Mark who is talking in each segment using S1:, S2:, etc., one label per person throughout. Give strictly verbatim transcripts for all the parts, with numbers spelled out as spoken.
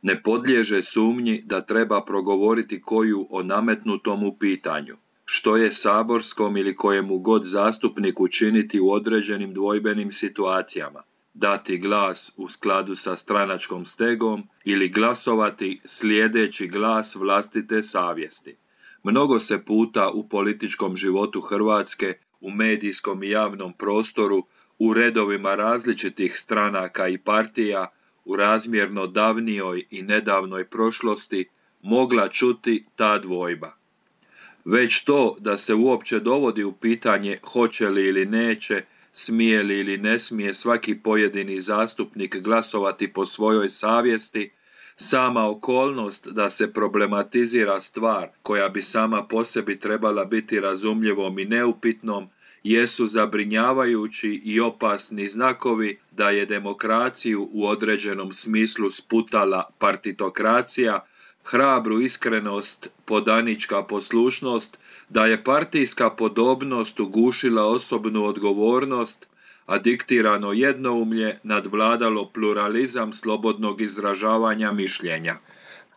S1: Ne podliježe sumnji da treba progovoriti koju o nametnutomu pitanju. Što je saborskom ili kojemu god zastupniku činiti u određenim dvojbenim situacijama? Dati glas u skladu sa stranačkom stegom ili glasovati slijedeći glas vlastite savjesti? Mnogo se puta u političkom životu Hrvatske, u medijskom i javnom prostoru, u redovima različitih stranaka i partija, u razmjerno davnijoj i nedavnoj prošlosti mogla čuti ta dvojba. Već to da se uopće dovodi u pitanje hoće li ili neće, smije li ili ne smije svaki pojedini zastupnik glasovati po svojoj savjesti, sama okolnost da se problematizira stvar koja bi sama po sebi trebala biti razumljivom i neupitnom, jesu zabrinjavajući i opasni znakovi da je demokraciju u određenom smislu sputala partitokracija, hrabru iskrenost, podanička poslušnost, da je partijska podobnost ugušila osobnu odgovornost, a diktirano jednoumlje nadvladalo pluralizam slobodnog izražavanja mišljenja.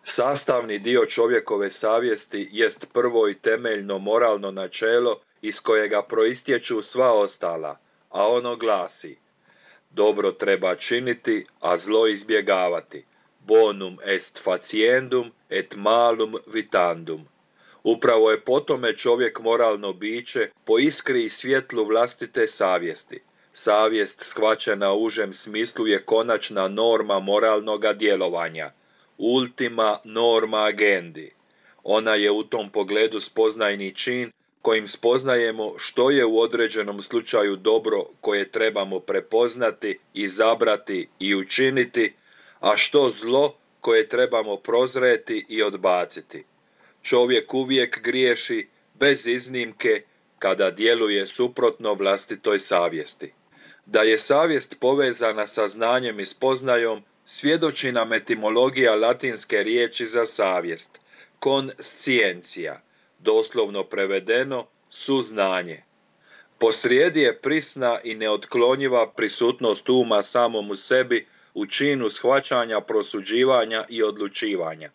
S1: Sastavni dio čovjekove savjesti jest prvo i temeljno moralno načelo iz kojega proistječu sva ostala, a ono glasi: dobro treba činiti, a zlo izbjegavati. Bonum est faciendum et malum vitandum. Upravo je po tome čovjek moralno biće po iskri i svjetlu vlastite savjesti. Savjest shvaćena u užem smislu je konačna norma moralnoga djelovanja, ultima norma agendi. Ona je u tom pogledu spoznajni čin kojim spoznajemo što je u određenom slučaju dobro koje trebamo prepoznati, izabrati i učiniti, a što zlo koje trebamo prozreti i odbaciti. Čovjek uvijek griješi, bez iznimke, kada djeluje suprotno vlastitoj savjesti. Da je savjest povezana sa znanjem i spoznajom, svjedoči nam etimologija latinske riječi za savjest, conscientia, doslovno prevedeno suznanje. Posrijedi je prisna i neotklonjiva prisutnost uma samom u sebi u činu shvaćanja, prosuđivanja i odlučivanja.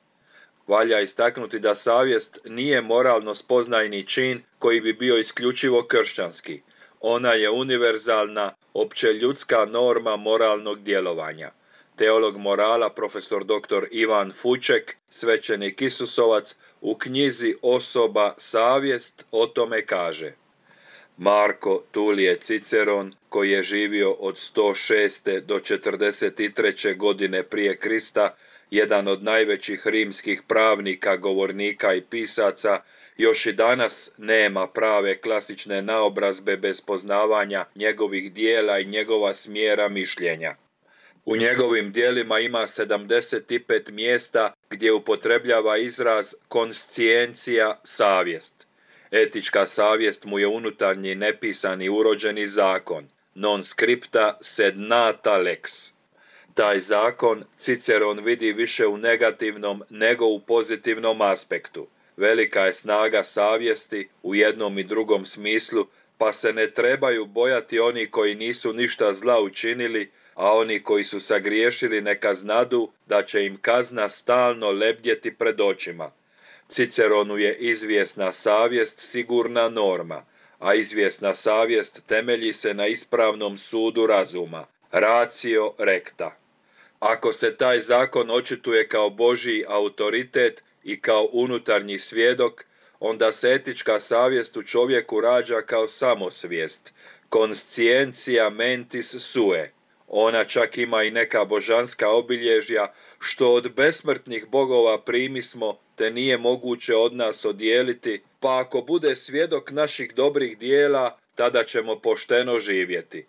S1: Valja istaknuti da savjest nije moralno spoznajni čin koji bi bio isključivo kršćanski. Ona je univerzalna, općeljudska norma moralnog djelovanja. Teolog morala profesor doktor Ivan Fuček, svećenik Isusovac, u knjizi Osoba, savjest o tome kaže: Marko Tulije Ciceron, koji je živio od sto šeste do četrdeset treće godine prije Krista, jedan od najvećih rimskih pravnika, govornika i pisaca, još i danas nema prave klasične naobrazbe bez poznavanja njegovih dijela i njegova smjera mišljenja. U njegovim dijelima ima sedamdeset pet mjesta gdje upotrebljava izraz conscientia, savjest. Etička savjest mu je unutarnji nepisani urođeni zakon, non scripta sed nata lex. Taj zakon Ciceron vidi više u negativnom nego u pozitivnom aspektu. Velika je snaga savjesti u jednom i drugom smislu, pa se ne trebaju bojati oni koji nisu ništa zla učinili, a oni koji su sagriješili neka znadu da će im kazna stalno lebdjeti pred očima. Ciceronu je izvjesna savjest sigurna norma, a izvjesna savjest temelji se na ispravnom sudu razuma, ratio recta. Ako se taj zakon očituje kao Božji autoritet i kao unutarnji svjedok, onda se etička savjest u čovjeku rađa kao samosvijest, conscientia mentis sue. Ona čak ima i neka božanska obilježja, što od besmrtnih bogova primismo, te nije moguće od nas odijeliti, pa ako bude svjedok naših dobrih dijela, tada ćemo pošteno živjeti.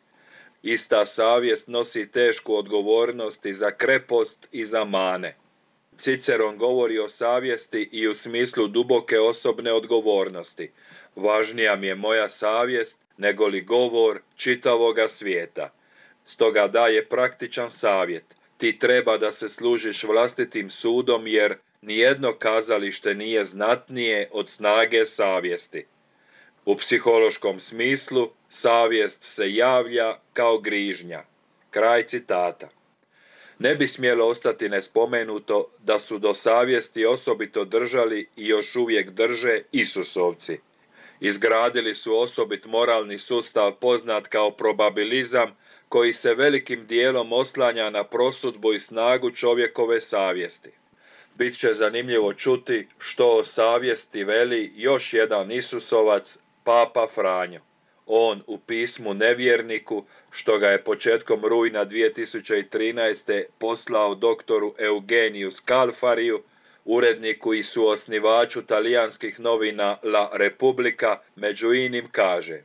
S1: Ista savjest nosi tešku odgovornost i za krepost i za mane. Ciceron govori o savjesti i u smislu duboke osobne odgovornosti. Važnija mi je moja savjest nego li govor čitavoga svijeta. Stoga daje praktičan savjet. Ti treba da se služiš vlastitim sudom, jer nijedno kazalište nije znatnije od snage savjesti. U psihološkom smislu savjest se javlja kao grižnja. Kraj citata. Ne bi smjelo ostati nespomenuto da su do savjesti osobito držali i još uvijek drže Isusovci. Izgradili su osobit moralni sustav poznat kao probabilizam, koji se velikim dijelom oslanja na prosudbu i snagu čovjekove savjesti. Bit će zanimljivo čuti što o savjesti veli još jedan Isusovac, Papa Franjo. On u pismu nevjerniku, što ga je početkom rujna dvije tisuće trinaeste. poslao doktoru Eugeniju Scalfariju, uredniku i suosnivaču talijanskih novina La Repubblica, među inim kaže: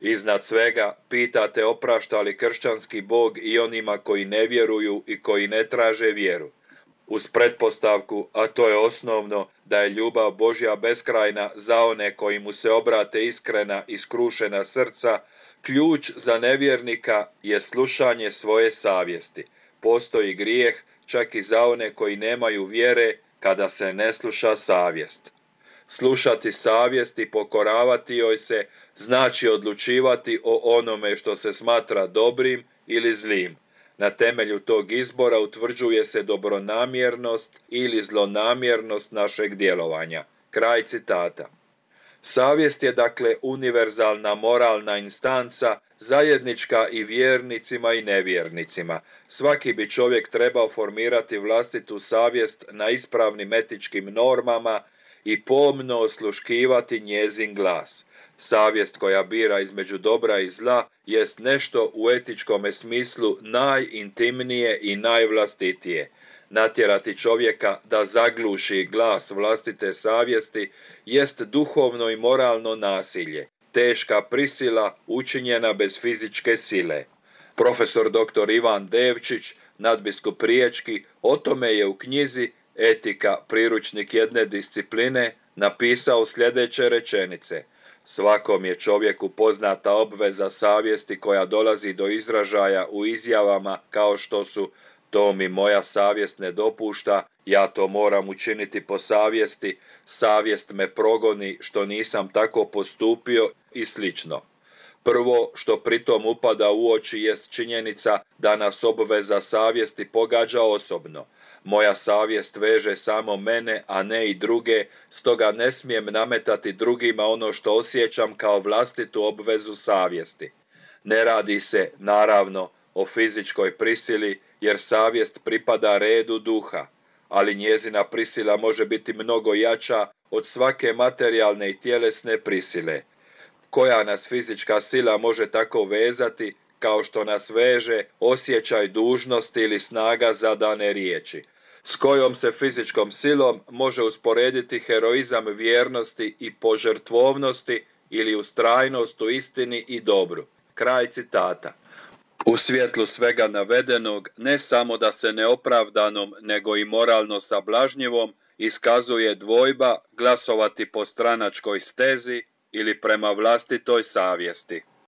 S1: iznad svega pitate oprašta li kršćanski Bog i onima koji ne vjeruju i koji ne traže vjeru, uz pretpostavku, a to je osnovno, da je ljubav Božja beskrajna za one koji mu se obrate iskrena i skrušena srca. Ključ za nevjernika je slušanje svoje savjesti. Postoji grijeh čak i za one koji nemaju vjere kada se ne sluša savjest. Slušati savjest i pokoravati joj se znači odlučivati o onome što se smatra dobrim ili zlim. Na temelju tog izbora utvrđuje se dobronamjernost ili zlonamjernost našeg djelovanja. Kraj citata. Savjest je dakle univerzalna moralna instanca, zajednička i vjernicima i nevjernicima. Svaki bi čovjek trebao formirati vlastitu savjest na ispravnim etičkim normama i pomno osluškivati njezin glas. Savjest koja bira između dobra i zla jest nešto u etičkome smislu najintimnije i najvlastitije. Natjerati čovjeka da zagluši glas vlastite savjesti jest duhovno i moralno nasilje, teška prisila učinjena bez fizičke sile. Profesor doktor Ivan Devčić, nadbiskup riječki, o tome je u knjizi Etika, priručnik jedne discipline, napisao sljedeće rečenice: svakom je čovjeku poznata obveza savjesti koja dolazi do izražaja u izjavama kao što su to mi moja savjest ne dopušta, ja to moram učiniti po savjesti, savjest me progoni što nisam tako postupio i slično. Prvo što pritom upada u oči jest činjenica da nas obveza savjesti pogađa osobno. Moja savjest veže samo mene, a ne i druge, stoga ne smijem nametati drugima ono što osjećam kao vlastitu obvezu savjesti. Ne radi se, naravno, o fizičkoj prisili, jer savjest pripada redu duha, ali njezina prisila može biti mnogo jača od svake materijalne i tjelesne prisile. Koja nas fizička sila može tako vezati, kao što nas veže osjećaj dužnosti ili snaga zadane riječi? S kojom se fizičkom silom može usporediti heroizam vjernosti i požrtvovnosti ili ustrajnost u istini i dobru? Kraj citata. U svjetlu svega navedenog, ne samo da se neopravdanom, nego i moralno sablažnjivom iskazuje dvojba glasovati po stranačkoj stezi ili prema vlastitoj savjesti.